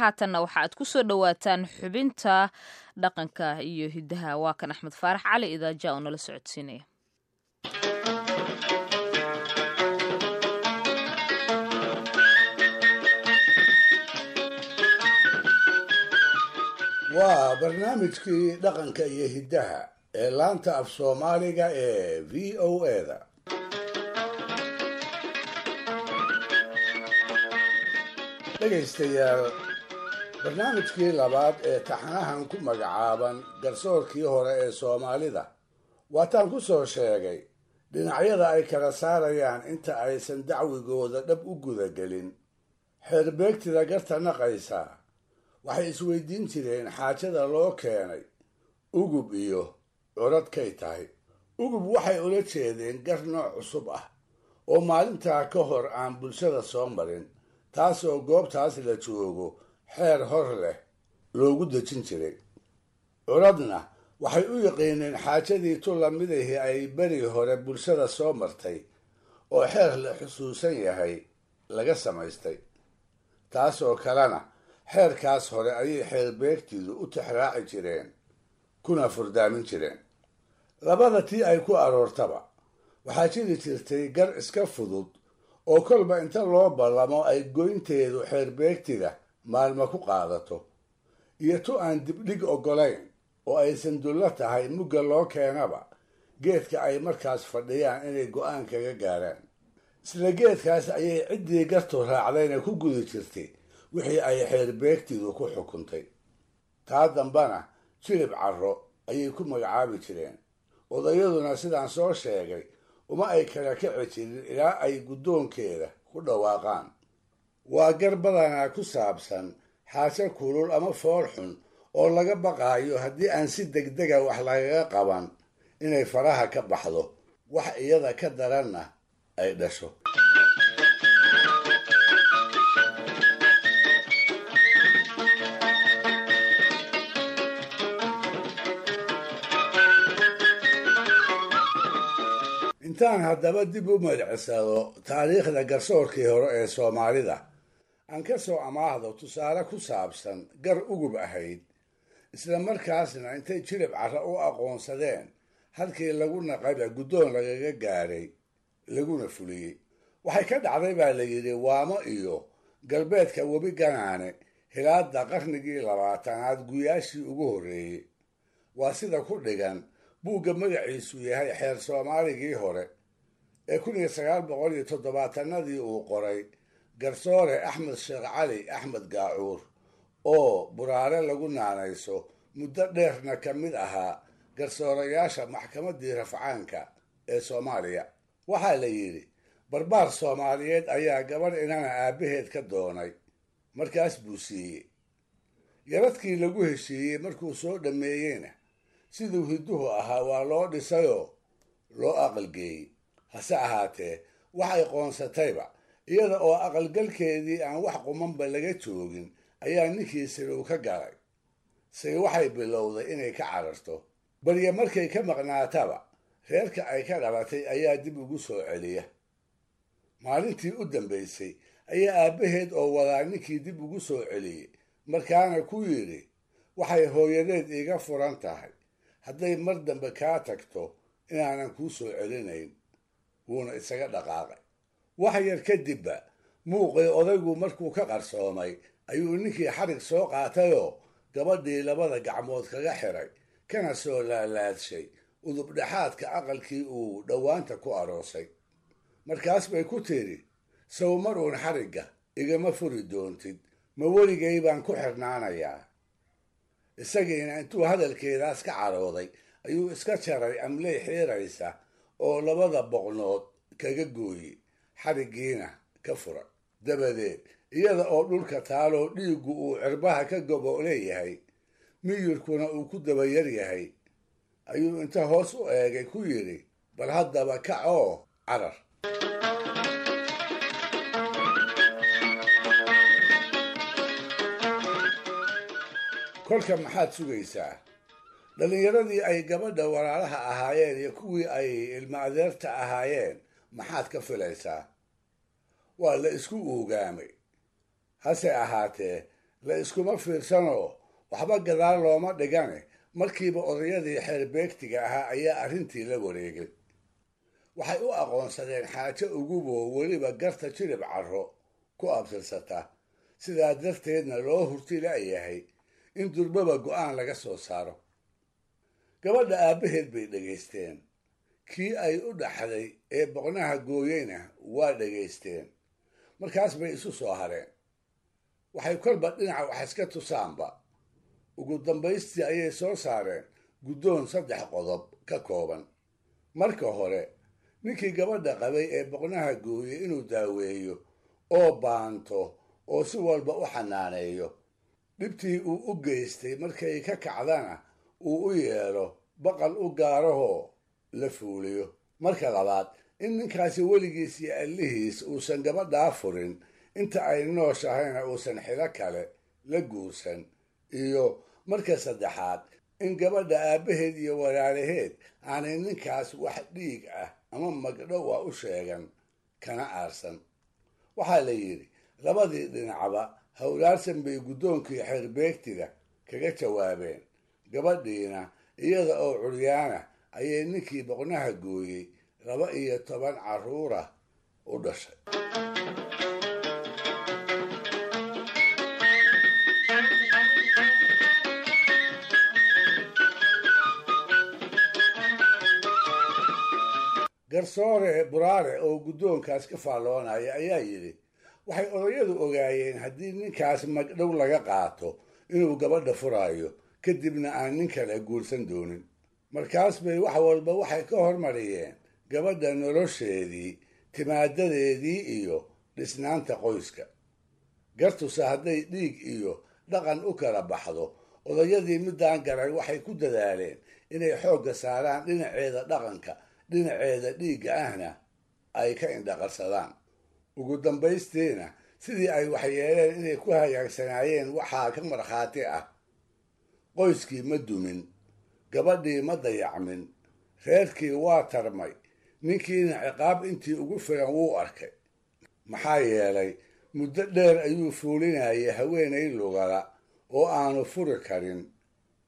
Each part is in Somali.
Haatanna waxa aad ku soo dhowaataan xubinta dhaqanka iyo hiddaha. Waa kan Axmed Faarax Cali Idaaja oo nala socodsiinaya. Waa barnaamijkii dhaqanka iyo hiddaha ee laanta af Soomaaliga ee VOA-da. Dhegaystayaal, barnaamijkii labaad ee taxanahan ku magacaaban garsoorkii hore ee Soomaalida waataan ku soo sheegay dhinacyada ay kala saarayaan inta aysan dacwigooda dhab u gudagelin. Xeerbeegtida garta naqaysa waxay isweydiin jireen xaajada loo keenay ugub iyo curadkay tahay. Ugub waxay ula jeedeen gar nooc cusub ah oo maalintaa ka hor aan bulshada soo marin, taasoo goobtaas la joogo xeer hor leh loogu dejin jiray. Curadna waxay u yaqiineen xaajadii tu lamidihii ay beri hore bulshada soo martay oo xeer la xusuusan yahay laga samaystay, taasoo kalena xeerkaas hore ayay xeerbeegtidu u tixraaci jireen kuna furdaamin jireen. Labada tii ay ku aroortaba waxaa jiri jirtay gar iska fudud oo kolba inta loo ballamo ay goynteedu xeerbeegtida maalmo ku qaadato, iyo tu aan dibdhig oggolayn oo aysan dullo tahay mugga loo keenaba geedka ay markaas fadhiyaan inay go'aan kaga gaaraan. Isla geedkaas ayay ciddii gartu raacdayna ku gudi jirtay wixii ay xeerbeegtidu ku xukuntay. Taa dambana jilib carro ayay ku magacaabi jireen. Odayaduna sidaan soo sheegay uma ay kala kici jirin ilaa ay guddoonkeeda ku dhawaaqaan. Waa gar badanaa ku saabsan xaajo kulul ama fool xun oo laga baqaayo haddii aan si degdega wax lagaga qaban inay faraha ka baxdo, wax iyada ka daranna ay dhasho. Intaan haddaba dib u madcisado taariikhda garsoorkii hore ee Soomaalida, aan ka soo amaahdo tusaale ku saabsan gar ugub ahayd, isla markaasna intay jilib carra u aqoonsadeen halkii lagu naqayba guddoon lagaga gaaray laguna fuliyey. Waxay ka dhacday baa la yidhi Waamo iyo galbeedka webi Ganaane hilaadda qarnigii 20aad guyaashii ugu horreeyey. Waa sida ku dhigan buugga magaciisu yahay Xeer Soomaaligii Hore ee 1970-adii uu qoray garsoore Axmed Sheekh Cali Axmed Gaacuur oo Buraare lagu naanayso, muddo dheerna ka mid ahaa garsoorayaasha maxkamaddii rafcaanka ee Soomaaliya. Waxaa la yidhi barbaar Soomaaliyeed ayaa gabadh inana aabbaheed ka doonay, markaas buu siiyey yaradkii lagu heshiiyey. Markuu soo dhammeeyeyna siduu hidduhu ahaa waa loo dhisayoo loo aqalgeeyey. Hase ahaatee waxay qoonsatayba iyada oo aqalgalkeedii aan wax qumanba laga joogin ayaa ninkii silow ka galay. Se waxay bilowday inay ka cararto barye. Markay ka maqnaataba reerka ay ka dhalatay ayaa dib ugu soo celiya. Maalintii u dambaysay ayaa aabbaheed oo wadaa ninkii dib ugu soo celiyey, markaana ku yidhi: "Waxay hooyadeed iiga furan tahay hadday mar dambe kaa tagto inaanan kuu soo celinayn." Wuuna isaga dhaqaaqay. Wax yar kadibba muuqii odaygu markuu ka qarsoomay ayuu ninkii xarig soo qaatayoo gabadhii labada gacmood kaga xiray, kana soo laalaadshay udubdhexaadka aqalkii uu dhowaanta ku aroosay. Markaas bay ku tidhi: "Sow mar uun xarigga igama furi doontid? Ma weligay baan ku xirnaanayaa?" Isagiina intuu hadalkeedaas ka carooday ayuu iska jaray amley xiiraysa oo labada boqnood kaga gooyey, xariggiina ka furay. Dabadeed iyada oo dhulka taaloo dhiiggu uu cirbaha ka gobo leeyahay, miyirkuna uu ku daba yar yahay, ayuu inta hoos u eegay ku yidhi: "Bal haddaba kac oo carar." Kolka maxaad sugaysaa? Dhallinyaradii ay gabadha walaalaha ahaayeen iyo kuwii ay ilma adeerta ahaayeen maxaad ka filaysaa? Waa la isku uugaamay. Hase ahaatee La iskuma fiirsanoo waxba gadaal looma dhigane, markiiba odayadii xeerbeegtiga ahaa ayaa arrintii la wareegay. Waxay u aqoonsadeen xaajo uguboo weliba garta Jilib Carro ku abtirsata, sidaa darteedna loo hurti la'yahay in durbaba go'aan laga soo saaro. Gabadha aabbaheed bay dhegaysteen, kii ay u dhaxday ee boqnaha gooyeyna waa dhegaysteen. Markaas bay isu soo hareen. Waxay kolba dhinaca wax iska tusaanba. Ugu dambaystii ayay soo saareen guddoon 3 qodob ka kooban. Marka hore, ninkii gabadha qabay ee boqnaha gooyey inuu daaweeyo oo baanto oo si walba u xanaaneeyo, dhibtii uu u geystay markay ka kacdana uu u yeelo baqal u gaarahoo la fuuliyo. Marka labaad, in ninkaasi weligiis iyo allihiis uusan gabadhaa furin inta ay nooshahayna uusan xilo kale la guursan. Iyo marka saddexaad, in gabadha aabbaheed iyo walaalaheed aanay ninkaas wax dhiig ah ama magdhow ah u sheegan kana aarsan. Waxaa la yidhi labadii dhinacba hawlaarsan bay guddoonkii xeerbeegtiga kaga jawaabeen. Gabadhiina iyada oo curyaana ayay ninkii boqnaha gooyey 12 carruura u dhashay. Garsoore Buraare oo guddoonkaas ka faalloonaya ayaa yidhi, waxay odayadu ogaayeen haddii ninkaas magdhow laga qaato inuu gabadha furaayo, kadibna aan nin kale guursan doonin. Markaas bay wax walba waxay ka hormariyeen gabadha nolosheedii, timaadadeedii iyo dhisnaanta qoyska. Gartuse hadday dhiig iyo dhaqan u kala baxdo, odayadii middaan garay waxay ku dadaaleen inay xoogga saaraan dhinaceeda dhaqanka, dhinaceeda dhiigga ahna ay ka indhaqarsadaan. Ugu dambaystiina sidii ay waxyeeleen inay ku hagaagsanaayeen waxaa ka markhaati ah: qoyskii ma dumin, gabadhii ma dayacmin, reerkii waa tarmay, ninkiina ciqaab intii ugu filan wuu arkay. Maxaa yeelay muddo dheer ayuu fuulinayay haweenay lugala oo aanu furi karin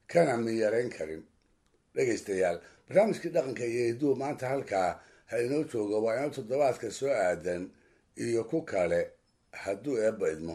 kana miyarayn karin. Dhegaystayaal, barnaamijkii dhaqanka iyo hidduhu maanta halkaa ha inoo joogo. Waa inoo toddobaadka soo aadan iyo ku kale hadduu Eebba idmo.